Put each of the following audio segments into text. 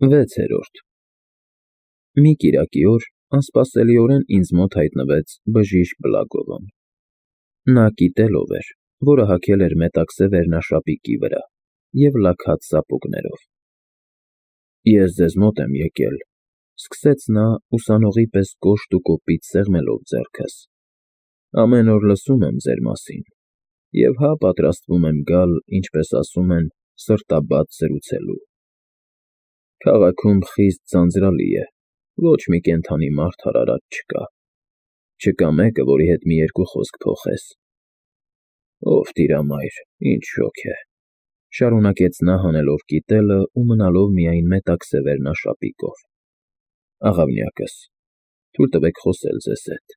6-րդ Մի կիրակի օր անսպասելիորեն ինձ մոտ հայտնվեց բժիշկ Բլագովն։ Նա կիտել էր, որը հագել էր մետաքսե վերնաշապիկի վրա և լաքած սապոգներով։ Ես ձեզ մոտ եմ եկել, սկսեց նա ուսանողի պես կոշտ ու կոպիտ սեղմելով ձեռքս, ամեն օր լսում եմ ձեր մասին և հա պատրաստվում եմ գալ, ինչպես ասում են, սրտաբաց զրուցելու։ Քաղաքում խիստ ձանձրալի է, ոչ մի կենդանի մարդ հարարատ չկա։ Չկա մեկը, որի հետ մի երկու խոսք փոխես։ Ով տիրամայր, ինչ շոգ է, շարունակեց նա հանելով կիտելը ու մնալով միայն մետաքսե վերնաշապիկով։ Աղավնյակս, թույլ տվեք խոսել ձեզ հետ։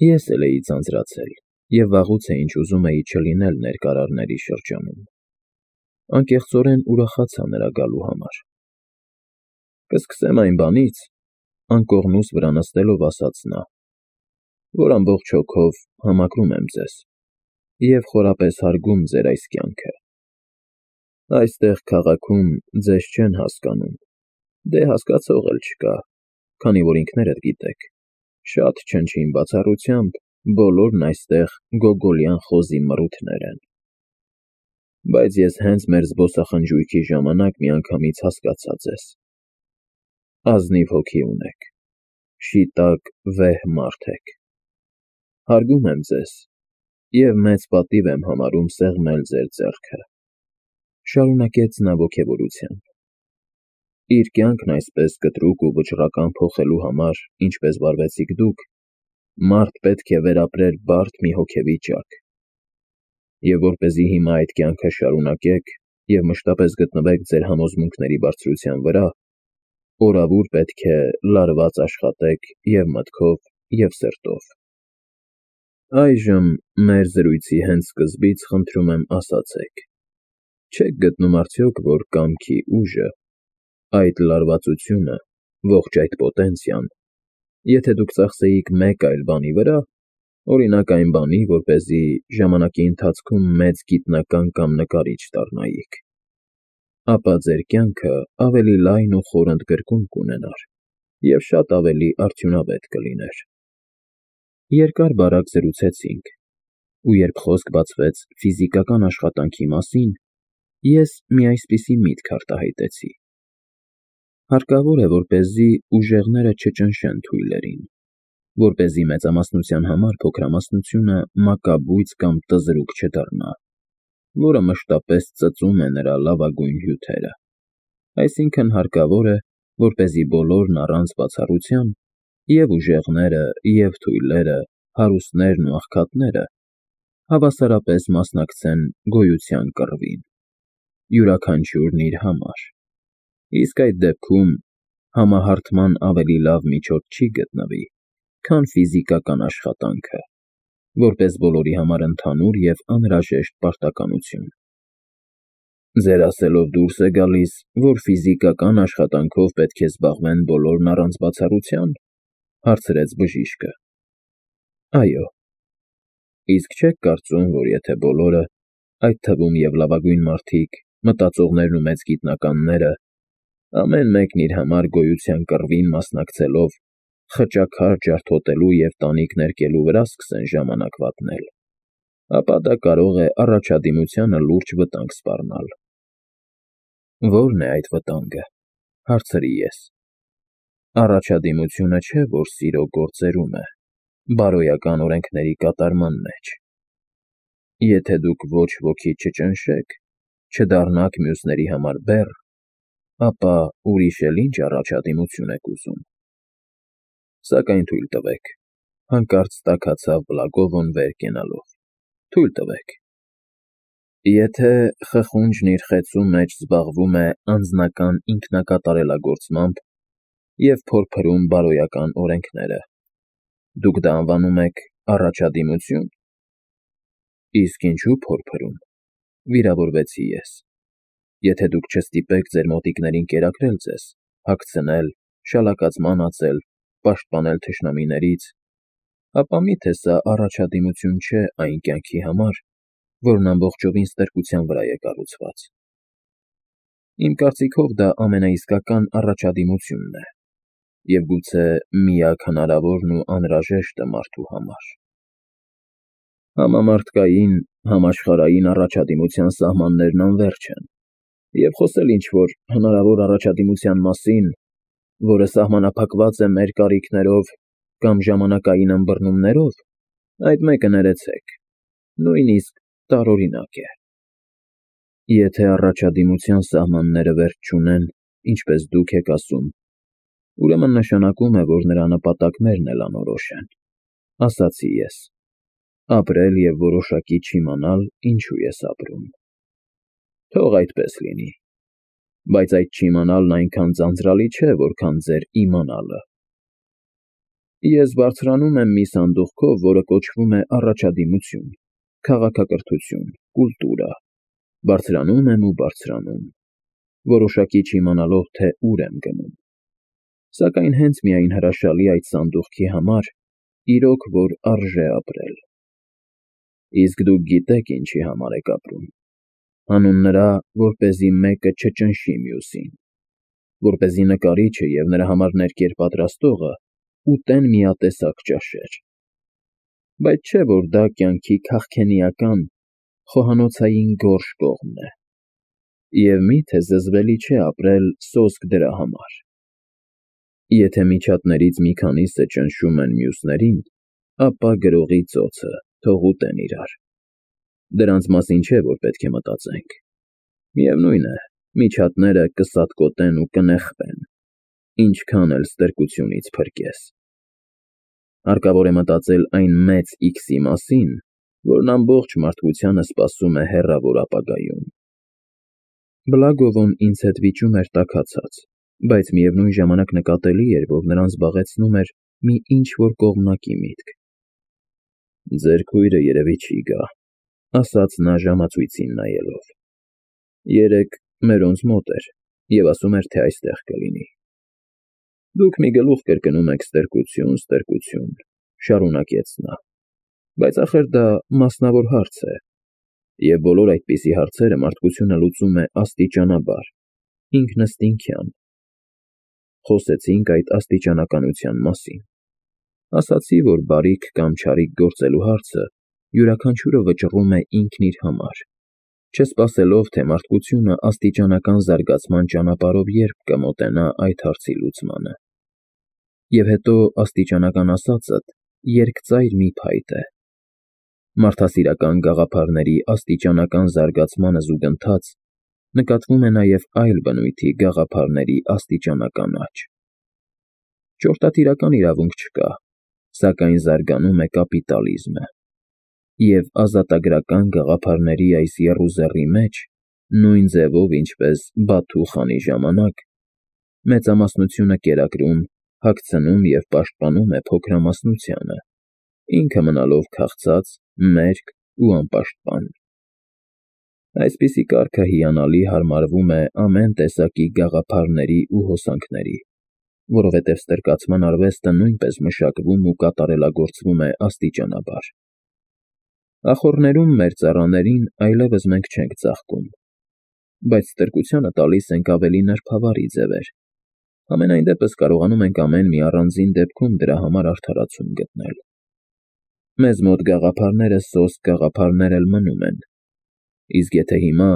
Ես էլ էի ձանձրացել և վաղուց է ինչ ուզում էի չլինել ներկարարների շրջանում։ Անկեղծորեն ուրախացա նրա գալու համար։ Կսկսեմ այն բանից, անկողնուս վրա նստելով ասաց նա, որ ամբողջ հոգով համակրում եմ ձեզ և խորապես հարգում ձեր այս կյանքը։ Այստեղ քաղաքում ձեզ չեն հասկանում, դե հասկացող էլ չկա, քանի որ ինքներդ գիտեք, շատ չնչին բացառությամբ բոլորն այստեղ գոգոլյան խոզի մռութներ են։ Բայց ես հենց մեր զբոսախնջույքի ժամանակ միանգամից հասկացա ձեզ։ Ազնիվ հոգի ունեք, շիտակ, վեհ մարդ եք։ Հարգում եմ ձեզ և մեծ պատիվ եմ համարում սեղմել ձեր ձեռքը, շարունակեց նա ոգևորությամբ։ Իր կյանքն այսպես կտրուկ ու վճռական փոխելու համար, ինչպես վարվեցիք դուք, մարդ պետք է վերապրեր բարդ մի հոգեվիճակ։ Եվ որպեսզի հիմա այդ կյանքը շարունակեք և մշտապես գտնվեք ձեր համոզմունքների բարձրության վրա, օրավուր պետք է լարված աշխատեք և մտքով, և սրտով։ Այժմ մեր զրույցի հենց սկզբից խնդրում եմ ասացեք, չե՞ք գտնում արդյոք, որ կամքի ուժը, այդ լարվածությունը, ողջ այդ պոտենցիան, եթե դուք ծախսեիք մեկ այլ բանի վրա, օրինակ այն բանի, որպեսզի ժամանակի ընթացքում մեծ գիտնական կամ նկարիչ դառնայիք, ապա ձեր կյանքը ավելի լայն ու խոր ընդգրկուն կունենար և շատ ավելի արդյունավետ կլիներ։ Երկար֊բարակ զրուցեցինք, ու երբ խոսք բացվեց ֆիզիկական աշխատանքի մասին, ես մի այսպիսի միտք արտահայտեցի. հարկավոր է, որպեսզի ուժեղները չճնշեն թույլերին, որպեսզի մեծամասնության համար փոքրամասնությունը մակաբույծ կամ տզրուկ չդառնա, որը մշտապես ծծում է նրա լավագույն հյութերը։ Այսինքն հարկավոր է, որպեսզի բոլորն առանց բացառության, և ուժեղները, և թույլերը, հարուստներն ու աղքատները, հավասարապես մասնակցեն գոյության կռվին, յուրաքանչյուրն իր համար, իսկ այդ դեպքում համահարթման ավելի լավ միջոց չի գտնվի, քան ֆիզիկական աշխատանքը, որպես բոլորի համար ընդհանուր և անհրաժեշտ պարտականություն։ Ձեր ասելով դուրս է գալիս, որ ֆիզիկական աշխատանքով պետք է զբաղվեն բոլորն առանց բացառության, հարցրեց բժիշկը։ Այո։ Իսկ չեք կարծում, որ եթե բոլորը, այդ թվում և լավագույն մարդիկ, մտածողներն ու մեծ գիտնականները, ամեն մեկն իր համար գոյության կռվին մասնակցելով, խճաքար ջարդոտելու և տանիք ներկելու վրա սկսեն ժամանակ վատնել, ապա դա կարող է առաջադիմությանը լուրջ վտանգ սպառնալ։ Ո՞րն է այդ վտանգը, հարցրի ես։ Առաջադիմությունը չէ, որ սիրո գործերում է, բարոյական օրենքների կատարման մեջ։ Եթե դուք ոչ ոքի չճնշեք, չդառնաք մյուսների համար բեռ, ապա ուրիշ էլ ինչ առաջադիմություն եք ուզում։ Սակայն թույլ տվեք, հանկարծ տաքացավ Բլագովն վեր կենալով, թույլ տվեք։ Եթե խխունջն իր խեցու մեջ զբաղվում է անձնական ինքնակատարելագործմամբ և փորփրում բարոյական օրենքները, դուք դա անվանում եք առաջադիմությո՞ւն։ Իսկ ինչու փորփրում, վիրավորվեցի ես։ Եթե դուք չստիպեք ձեր մոտիկներին կերակրել ձեզ, հագցնել, շալակած անացել, պաշտպանել թշնամիներից, ապա մի՞թե սա առաջադիմություն չէ այն կյանքի համար, որն ամբողջովին ստրկության վրա է կառուցված։ Իմ կարծիքով դա ամենաիսկական առաջադիմությունն է և գուցե միակ հնարավորն ու անհրաժեշտը մարդու համար։ Համամարտկային, համաշխարհային առաջադիմության սահմաններն անվերջ են, և խոսել ինչ-որ հնարավոր առաջադիմության մասին, որը սահմանափակված է մեր կարիքներով կամ ժամանակային ըմբռնումներով, այդ մեկը ներեցեք, նույնիսկ տարօրինակ է։ Եթե առաջադիմության սահմանները վերջ չունեն, ինչպես դուք եք ասում, ուրեմն նշանակում է, որ նրա նպատակներն էլ անորոշ են, ասացի ես, ապրել և որոշակի չիմանալ ինչու ես ապրում։ Թող այդպես լինի, բայց այդ չիմանալն այնքան ձանձրալի չէ, որքան ձեր իմանալը։ Ես բարձրանում եմ մի սանդուղքով, որը կոչվում է առաջադիմություն, քաղաքակրթություն, կուլտուրա, բարձրանում եմ ու բարձրանում, որոշակի չիմանալով, թե ուր եմ գնում։ Սակայն հենց միայն հրաշալի այդ սանդուղքի համար, իրոք որ արժե ապրել։ Իսկ դուք գիտեք ինչի համար եք ապրում, հանուն նրա, որպեսզի մեկը չճնշի մյուսին, որպեսզի նկարիչը և նրա համար ներկեր պատրաստողը ուտեն միատեսակ ճաշեր։ Բայց չէ՞ որ դա կյանքի քաղքենիական, խոհանոցային գորշ կողմն է, և մի՞թե զզվելի չէ ապրել սոսկ դրա համար։ Եթե միջատներից մի քանիսը ճնշում են մյուսներին, ապա գրողի ծոցը թող ուտեն իրար։ Դրանց մասին չէ, որ պետք է մտածենք։ Միևնույն է, միջատները կսատկոտեն ու կնեխվեն, ինչքան էլ ստրկությունից փրկես։ Հարկավոր է մտածել այն մեծ X-ի մասին, որն ամբողջ մարդկությանը սպասում է հեռավոր ապագայում։ Բլագովն ինձ հետ վիճում էր տաքացած, բայց միևնույն ժամանակ նկատելի էր, որ նրան զբաղեցնում էր մի ինչ-որ կողմնակի միտք։ Ձեր քույրը երևի չի գա, ասաց նա ժամացույցին նայելով։ Երեկ մերոնց մոտ էր և ասում էր, թե այստեղ կլինի։ Դուք մի գլուխ կրկնում եք ստրկություն, ստրկություն, շարունակեց նա, բայց ախր դա մասնավոր հարց է, և բոլոր այդպիսի հարցերը մարդկությունը լուծում է աստիճանաբար, ինքնըստինքյան։ Խոսեցինք այդ աստիճանականության մասին։ Ասացի, որ բարիք կամ չարիք գործելու հարցը յուրաքանչյուրը վճռում է ինքն իր համար, չսպասելով, թե մարդկությունը աստիճանական զարգացման ճանապարհով երբ կմոտենա այդ հարցի լուծմանը։ Եվ հետո աստիճանական ասածդ երկծայր մի փայտ է։ Մարդասիրական գաղափարների աստիճանական զարգացմանը զուգընթաց նկատվում է նաև այլ բնույթի գաղափարների աստիճանական աճ։ Ճորտատիրական իրավունք չկա, սակայն զարգանում է կապիտալիզմը, և ազատագրական գաղափարների այս եռուզեռի մեջ, նույն ձևով, ինչպես Բաթու խանի ժամանակ, մեծամասնությունը կերակրում, հագցնում և պաշտպանում է փոքրամասնությանը, ինքը մնալով քաղցած, մերկ ու անպաշտպան։ Այսպիսի կարգը հիանալի հարմարվում է ամեն տեսակի գաղափարների ու հոսանքների, որովհետև ստրկացման արվեստը նույնպես մշակվում ու կատարելագործվում է աստիճանաբար։ Ախոռներում մեր ծառաներին այլևս մենք չենք ծաղկում, բայց ստրկությանը տալիս ենք ավելի նրբավարի ձևեր, համենայն դեպս կարողանում ենք ամեն մի առանձին դեպքում դրա համար արդարացում գտնել։ Մեզ մոտ գաղափարները սոսկ գաղափարներ էլ մնում են, իսկ եթե հիմա,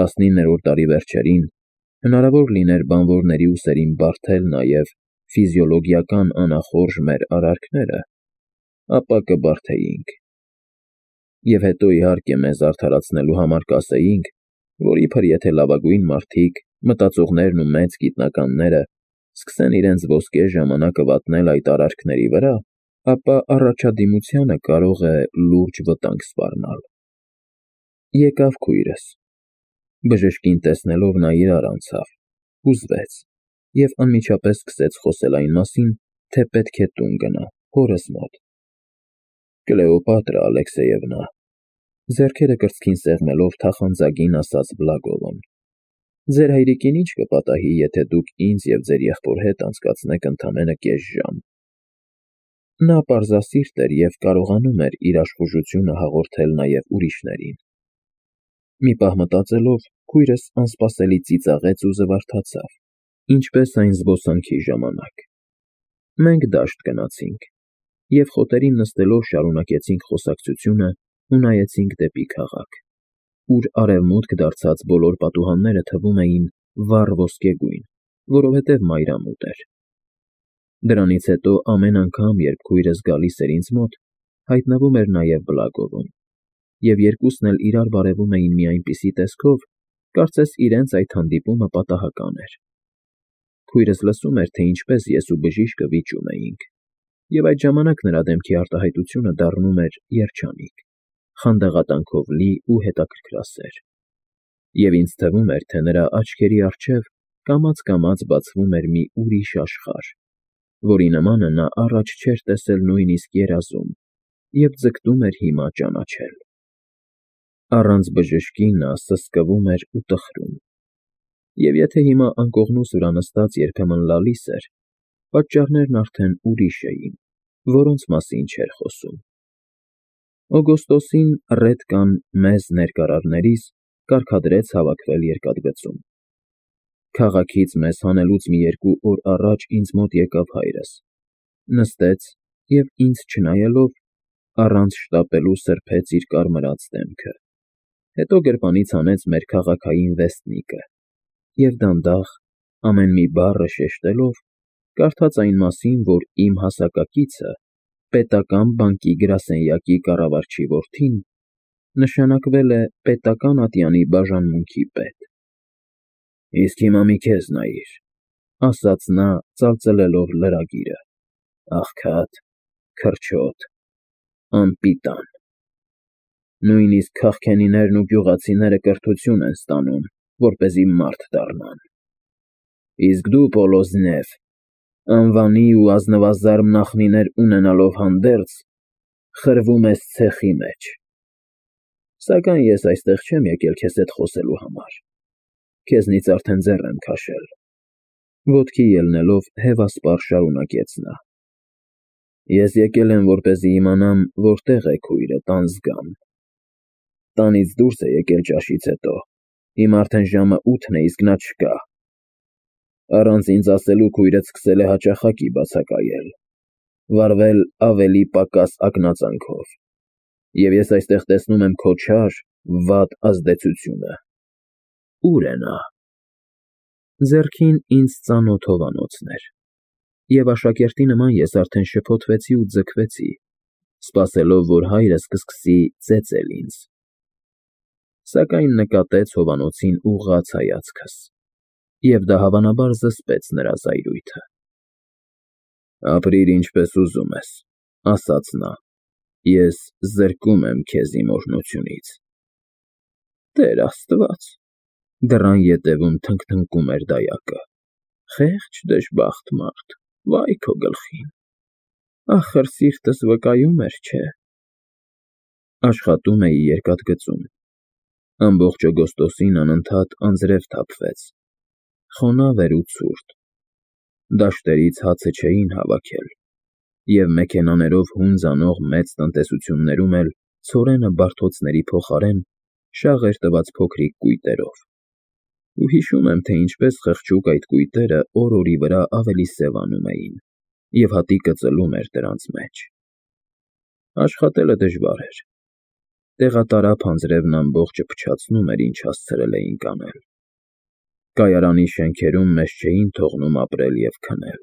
19-րդ դարի վերջերին, հնարավոր լիներ բանվորների ուսերին բարդել նաև ֆիզիոլոգիական անախորժ մեր արարքները, ապա կբարդեինք։ Եվ հետո իհարկե մեզ արդարացնելու համար կասեինք, որ իբր եթե լավագույն մարդիկ, մտածողներն ու մեծ գիտնականները սկսեն իրենց ոսկե ժամանակը վատնել այդ արարքների վրա, ապա առաջադիմությանը կարող է լուրջ վտանգ սպառնալ։ Եկավ քույրս։ Բժշկին տեսնելով նա իրար անցավ, հուզվեց և անմիջապես սկսեց խոսել այն մասին, թե պետք է տուն գնա, հորս մոտ։ Կլեոպատրա Ալեքսեևնա, ձեռքերը կրծքին սեղմելով թախանձագին ասաց Բլագովն, ձեր հայրիկին ի՞նչ կպատահի, եթե դուք ինձ և ձեր եղբոր հետ անցկացնեք ընդամենը կես ժամ։ Նա պարզասիրտ էր և կարողանում էր իր աշխուժությունը հաղորդել նաև ուրիշներին։ Մի պահ մտածելով, քույրս անսպասելի ծիծաղեց ու զվարթացավ, ինչպես այն զբոսանքի ժամանակ։ Մենք դաշտ գնացինք և խոտերին նստելով շարունակեցինք խոսակցությունը ու նայեցինք դեպի քաղաք, ուր արևմուտք դարձած բոլոր պատուհանները թվում էին վառ ոսկեգույն, որովհետև մայրամուտ էր։ Դրանից հետո ամեն անգամ, երբ քույրս գալիս էր ինձ մոտ, հայտնվում էր նաև Բլագովում, և երկուսն էլ իրար բարևում էին մի այնպիսի տեսքով, կարծես իրենց այդ հանդիպումը պատահական էր։ Քույրս լսում էր, թե ինչպես ես ու բժիշկը վիճում էինք, և այդ ժամանակ նրա դեմքի արտահայտությունը դառնում էր երջանիկ, խանդաղատանքով լի ու հետաքրքրասեր, և ինձ թվում էր, թե նրա աչքերի առջև կամաց֊կամաց բացվում էր մի ուրիշ աշխարհ, որի նմանը նա առաջ չէր տեսել նույնիսկ երազում և ձգտում էր հիմա ճանաչել։ Առանց բժշկի նա սսկվում էր ու տխրում, և եթե հիմա անկողնուս վրա նստած երբեմն լալիս էր, պատճառներն արդեն ուրիշ էին, որոնց մասին չէր խոսում։ Օգոստոսին ռեդկան մեզ ներկարարներիս կարգադրեց հավաքվել երկաթգծում։ Քաղաքից մեզ հանելուց մի երկու օր առաջ ինձ մոտ եկավ հայրս, նստեց և ինձ չնայելով, առանց շտապելու սրբեց իր կարմրած դեմքը, հետո գրպանից հանեց մեր քաղաքային վեստնիկը և դանդաղ, ամեն մի բառը շեշտելով, կարդաց այն մասին, որ իմ հասակակիցը, պետական բանկի գրասենյակի կառավարչի որդին, նշանակվել է պետական ատյանի բաժանմունքի պետ։ «Իսկ հիմա մի քեզ նայիր», ֊ ասաց նա, ծալծլելով լրագիրը, ֊ աղքատ, քրչոտ, անպիտան։ Նույնիսկ քաղքենիներն ու գյուղացիները կրթություն են ստանում, որպեսզի մարդ դառնան։ Իսկ դու, Պոլոզնև, անվանի ու ազնվազարմ նախնիներ ունենալով հանդերձ, խրվում ես ցեխի մեջ։ Սակայն ես այստեղ չեմ եկել քեզ հետ խոսելու համար, քեզնից արդեն ձեռ եմ քաշել։ Ոտքի ելնելով հևասպառ շարունակեց նա. Ես եկել եմ, որպեսզի իմանամ, որտեղ է քույրդ անձգան։ Տանից դուրս է եկել ճաշից հետո, հիմա արդեն ժամը 8-ն է, իսկ նա չկա։ Առանց ինձ ասելու քույրդ սկսել է հաճախակի բացակայել, վարվել ավելի պակաս ակնածանքով, և ես այստեղ տեսնում եմ քո չար, վատ ազդեցությունը։ Ո՞ւր է նա։ Ձեռքին ինձ ծանոթ հովանոցն էր, և աշակերտի նման ես արդեն շփոթվեցի ու ձգվեցի, սպասելով, որ հայրս կսկսի ծեծել ինձ, սակայն նկատեց հովանոցին ուղղած հայացքս, և դա հավանաբար զսպեց նրա զայրույթը։ Ապրիր ինչպես ուզում ես, ֊ ասաց նա, ֊ ես զրկում եմ քեզ իմ օրհնությունից։ Տեր Աստված, դռան ետևում թնգթնգում էր դայակը, խեղճ դժբախտ մարդ, վայ քո գլխին, ախր սիրտս վկայում էր, չէ։ Աշխատում էի երկաթգծում։ Ամբողջ օգոստոսին անընդհատ անձրև թափվեց, խոնավ էր ու ցուրտ, դաշտերից հացը չէին հավաքել, և մեքենաներով հունձ անող մեծ տնտեսություններում էլ ցորենը բարդոցների փոխարեն շաղ էր տված փոքրիկ կույտերով, ու հիշում եմ, թե ինչպես խղճուկ այդ կույտերը օր֊օրի վրա ավելի սևանում էին, և հատիկը ծլում էր դրանց մեջ։ Աշխատելը դժվար էր։ Տեղատարափ անձրևն ամբողջը փչացնում էր, ինչ հասցրել էինք անել։ Կայարանի շենքերում մեզ չէին թողնում ապրել և քնել,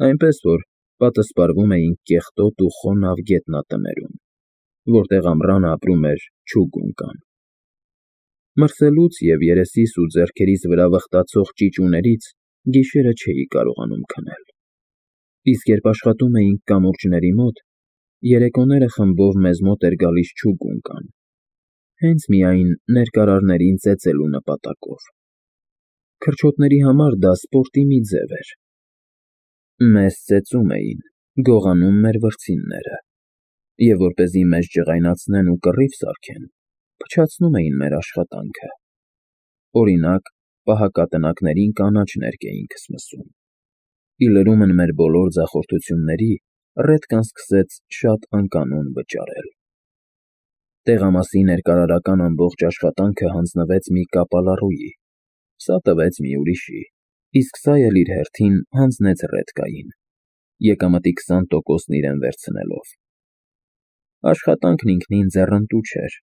այնպես որ պատսպարվում էինք կեղտոտ ու խոնավ գետնատներում, որտեղ ամռանը ապրում էր չուգունկան։ Մրսելուց և երեսիս ու ձեռքերիս վրա վխտացող ճիճուներից գիշերը չէի կարողանում քնել, իսկ երբ աշխատում էինք կամուրջների մոտ, երեկոները խմբով մեզ մոտ էր գալիս չուգունկան, հենց միայն ներկարարներին ծեծելու նպատակով։ Քրչոտների համար դա սպորտի մի ձև էր։ Մեզ ծեծում էին, գողանում մեր վրձինները, և որպեսզի մեզ ջղայնացնեն ու կռիվ սարքեն, փչացնում էին մեր աշխատանքը։ Օրինակ, պահակատնակներին կանաչ ներկեր էինք սկսում։ Ի լրումն մեր բոլոր ձախորդությունների, ռեդկան սկսեց շատ անկանոն վճարել։ Տեղամասի ներկարարական ամբողջ աշխատանքը հանձնվեց մի կապալառուի, սա տվեց մի ուրիշի, իսկ սա էլ իր հերթին հանձնեց Ռեդկային, եկամտի 20%-ն իրեն վերցնելով։ Աշխատանքն ինքնին ձեռընտու չէր,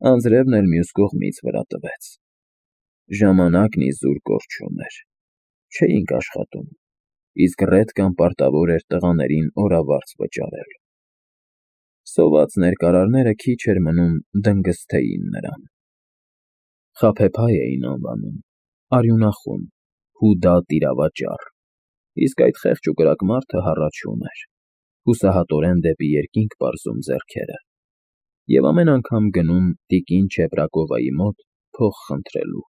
անձրևն էլ մյուս կողմից վրա տվեց։ Ժամանակն իզուր կորչում էր, չէինք աշխատում, իսկ Ռեդկան պարտավոր էր տղաներին օրավարձ վճարել։ Սոված ներկարարները քիչ էր մնում դնգզթեին նրան։ Խաբեբայ էին անվանում, արյունախուն, հուդա տիրավաճառ, իսկ այդ խեղճ ու կրակ մարդը հառաչում էր, հուսահատորեն դեպի երկինք պարզում ձեռքերը և ամեն անգամ գնում տիկին Չեպրակովայի մոտ փող խնդրելու։